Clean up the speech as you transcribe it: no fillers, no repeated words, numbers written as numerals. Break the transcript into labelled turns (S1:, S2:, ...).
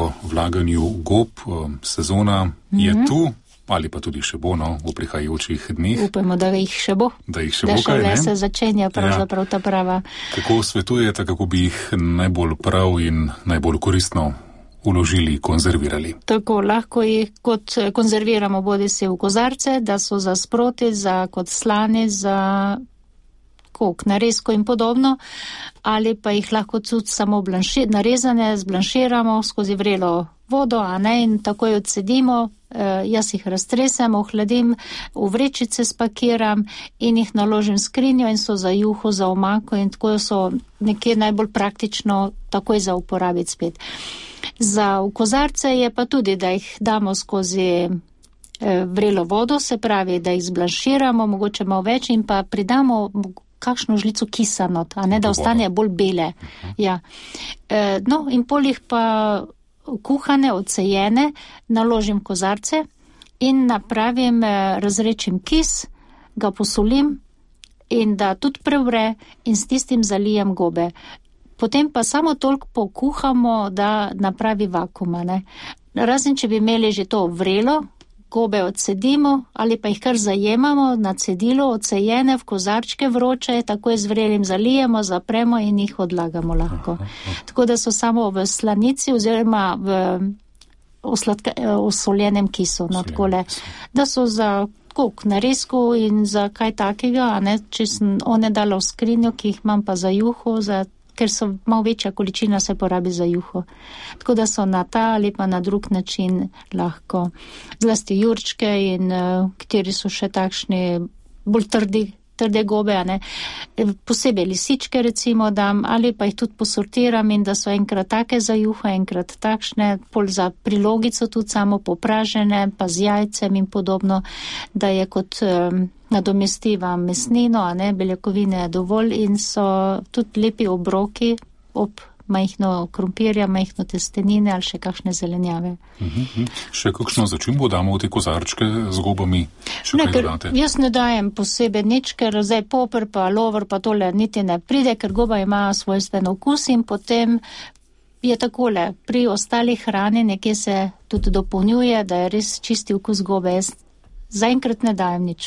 S1: o vlaganju gob. Sezona je tu, ali pa tudi še bo, v prihajajočih dneh.
S2: Upamo, da jih še bo.
S1: Da jih še bo, kaj ne?
S2: Da se začenja pravzaprav ta prava.
S1: Kako svetujete, kako bi jih najbolj prav in najbolj koristno uložili, konzervirali?
S2: Tako, lahko jih kot konzerviramo bodisi v kozarce, da so za sproti, kot slani, za narezko in podobno, ali pa jih lahko tudi samo narezane, zblanširamo skozi vrelo vodo, in takoj odcedimo. Jaz jih raztresem, ohladim, v vrečice spakiram in jih naložim v skrinjo in so za juho, za omako in tako so nekje najbolj praktično takoj za uporabiti spet. Za v kozarce je pa tudi, da jih damo skozi vrelo vodo, se pravi, da jih zblanširamo, mogoče malo več in pa pridamo kakšno žlico kisa not, da ostane bolj bele. Ja. In pol jih pa kuhane, odsejene, naložim kozarce in napravim, razrečim kis, ga posolim in da tudi prevre in s tistim zalijem gobe. Potem pa samo toliko pokuhamo, da napravi vakuma. Razen, če bi imeli že to vrelo, gobe odcedimo ali pa jih kar zajemamo na cedilo, odsejene v kozarčke vroče, takoj z vrelim zalijemo, zapremo in jih odlagamo lahko. Tako da so samo v slanici oziroma v osoljenem kisu. Da so za narezku in za kaj takega, če sem one dala v skrinjo, ki jih imam pa za juho, ker so malo večja količina se porabi za juho. Tako da so na ta ali pa na drug način lahko. Zlasti jurčke in kateri so še takšni bolj trde gobe, posebej lisičke recimo dam, ali pa jih tudi posortiram in da so enkrat take za juho, enkrat takšne, pol za prilogico tudi samo popražene, pa z jajcem in podobno, da je kot nadomestiva mesnino, beljakovine je dovolj in so tudi lepi obroki ob majhno krompirja, majhno testenine ali še kakšne zelenjave.
S1: Še kakšno začimbo damo v te kozarčke z gobami?
S2: Jaz ne dajem posebej nič, ker zdaj poper pa lover pa tole niti ne pride, ker goba ima svojstven okus in potem je takole, pri ostalih hrani nekje se tudi dopolnjuje, da je res čisti okus gobe. Jaz zaenkrat ne dajem nič.